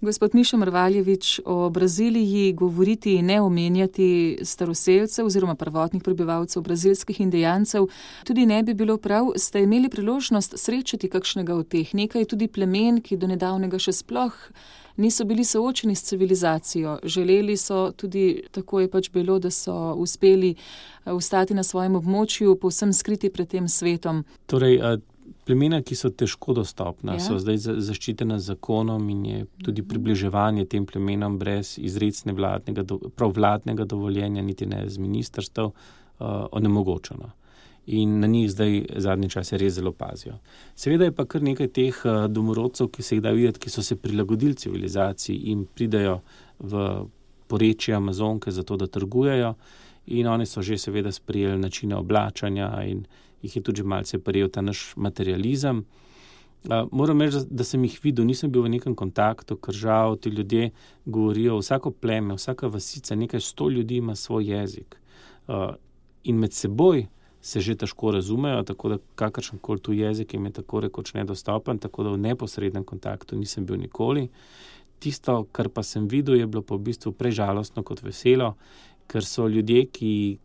Gospod Miša Mrvaljević, o Braziliji govoriti in ne omenjati staroselcev oziroma prvotnih prebivalcev brazilskih indijancev tudi ne bi bilo prav. Ste imeli priložnost srečati kakšnega od teh, nekaj tudi plemen, ki do nedavnega še sploh niso bili soočeni s civilizacijo. Želeli so tudi, tako je pač bilo, da so uspeli ostati na svojem območju, povsem skriti pred tem svetom. Torej, plemena, ki so težko dostopna, so zdaj zaščitena z zakonom in je tudi približevanje tem plemenom brez izrecne vladnega dovoljenja, niti ne z ministrstev, onemogočeno. In na njih zdaj zadnji čas res zelo pazijo. Seveda je pa kar nekaj teh domorodcev, ki se jih da videti, ki so se prilagodili civilizaciji in pridajo v porečje Amazonke zato, da trgujejo, in oni so že seveda sprejeli načine oblačanja in jih je tudi malce prijel ta naš materializem. Moram reči, da sem jih videl, nisem bil v nekem kontaktu, ker žal ti ljudje govorijo, vsako pleme, vsaka vasica, nekaj 100 ljudi ima svoj jezik. In med seboj se že težko razumejo, tako da kakršenkoli tu jezik jim je tako rekoč nedostopen, tako da v neposrednem kontaktu nisem bil nikoli. Tisto, kar pa sem videl, je bilo pa v bistvu prej žalostno kot veselo, ker so ljudje, ki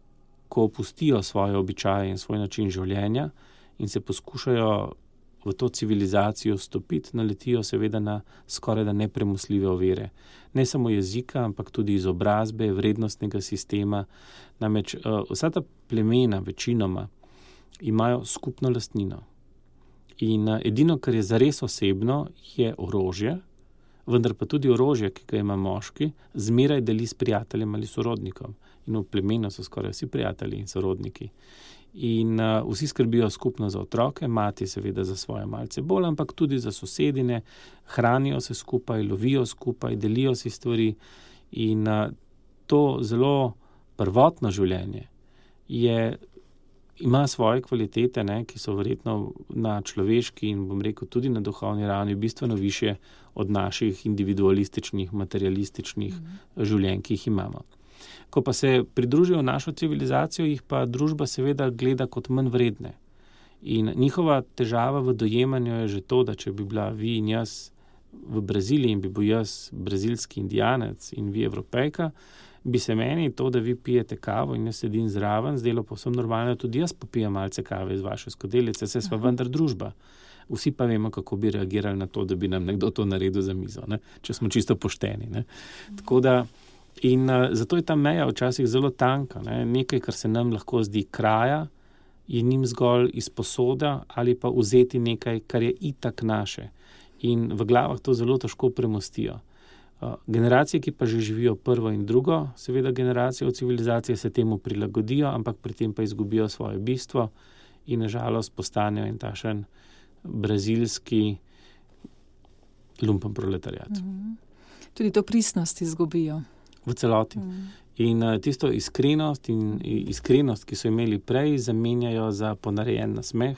ko opustijo svoje običaje in svoj način življenja in se poskušajo v to civilizacijo vstopiti, naletijo seveda na skoraj da nepremostljive ovire. Ne samo jezika, ampak tudi izobrazbe, vrednostnega sistema. Namreč vsa ta plemena večinoma imajo skupno lastnino. In edino, kar je zares osebno, je orožje, vendar pa tudi orožje, ki ga ima moški, zmeraj deli s prijateljem ali sorodnikom. In v plemenu so skoraj vsi prijatelji in sorodniki. In vsi skrbijo skupno za otroke, mati seveda za svoje malce bolj, ampak tudi za sosedine, hranijo se skupaj, lovijo skupaj, delijo si stvari. In to zelo prvotno življenje ima svoje kvalitete, ki so verjetno na človeški in bom rekel tudi na duhovni ravni bistveno višje od naših individualističnih, materialističnih življenj, ki jih imamo. Ko pa se pridružijo v našo civilizacijo, jih pa družba seveda gleda kot manj vredne. In njihova težava v dojemanju je že to, da če bi bila vi in jaz v Braziliji in bi bil jaz brazilski indijanec in vi Evropejka, bi se meni to, da vi pijete kavo in jaz sedim zraven, zdelo povsem normalno, tudi jaz popijem malce kave iz vaše skodelice, saj sva vendar družba. Vsi pa vemo, kako bi reagirali na to, da bi nam nekdo to naredil za mizo, če smo čisto pošteni. Tako da in zato je ta meja včasih zelo tanka. Nekaj, kar se nam lahko zdi kraja, je njim zgolj izposoda ali pa vzeti nekaj, kar je itak naše. In v glavah to zelo težko premostijo. Generacije, ki pa že živijo prvo in drugo, seveda generacije v civilizaciji se temu prilagodijo, ampak pri tem pa izgubijo svoje bistvo in na žalost postanejo en tašen brazilski lumpen proletariat. Tudi to pristnost izgubijo. V celoti. In tisto iskrenost, ki so imeli prej, zamenjajo za ponarejen nasmeh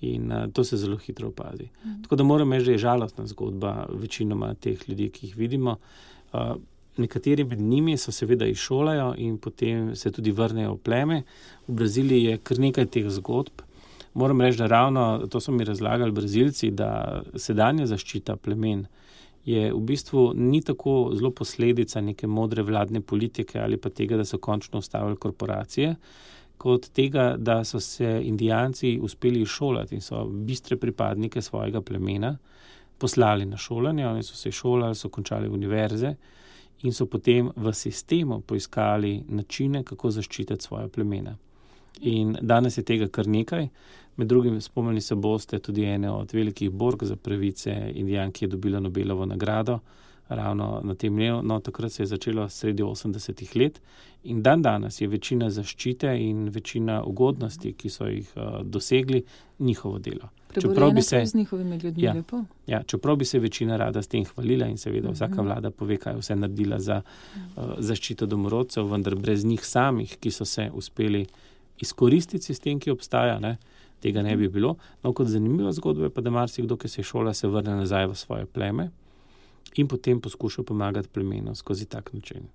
in to se zelo hitro opazi. Tako da moram reči, da je žalostna zgodba večinoma teh ljudi, ki jih vidimo. Nekateri med njimi so seveda izšolajo in potem se tudi vrnejo v pleme. V Braziliji je kar nekaj teh zgodb. Moram reči, da ravno to so mi razlagali Brazilci, da sedanja zaščita plemen je v bistvu ni tako zelo posledica neke modre vladne politike ali pa tega, da so končno ustavili korporacije, kot tega, da so se indijanci uspeli izšolati in so bistre pripadnike svojega plemena poslali na šolanje. Oni so se šolali, so končali univerze in so potem v sistemu poiskali načine, kako zaščititi svoje plemena. In danes je tega kar nekaj. Med drugim spomnili se boste tudi ene od velikih bork za pravice Indijan, ki je dobila Nobelovo nagrado ravno na tem dnevu. No, takrat se je začelo sredi 80-ih let in danes je večina zaščite in večina ugodnosti, ki so jih dosegli, njihovo delo. Preborjena so z njihovimi ljudmi, lepo. Ja, čeprav bi se večina rada s tem hvalila in seveda vsaka vlada pove, kaj vse naredila za zaščito domorodcev, vendar brez njih samih, ki so se uspeli izkoristiti sistem, ki obstaja, tega ne bi bilo. No, kot zanimiva zgodba je pa, da marsikdo, ki se šola, se vrne nazaj v svoje pleme in potem poskuša pomagati plemenu skozi tak način.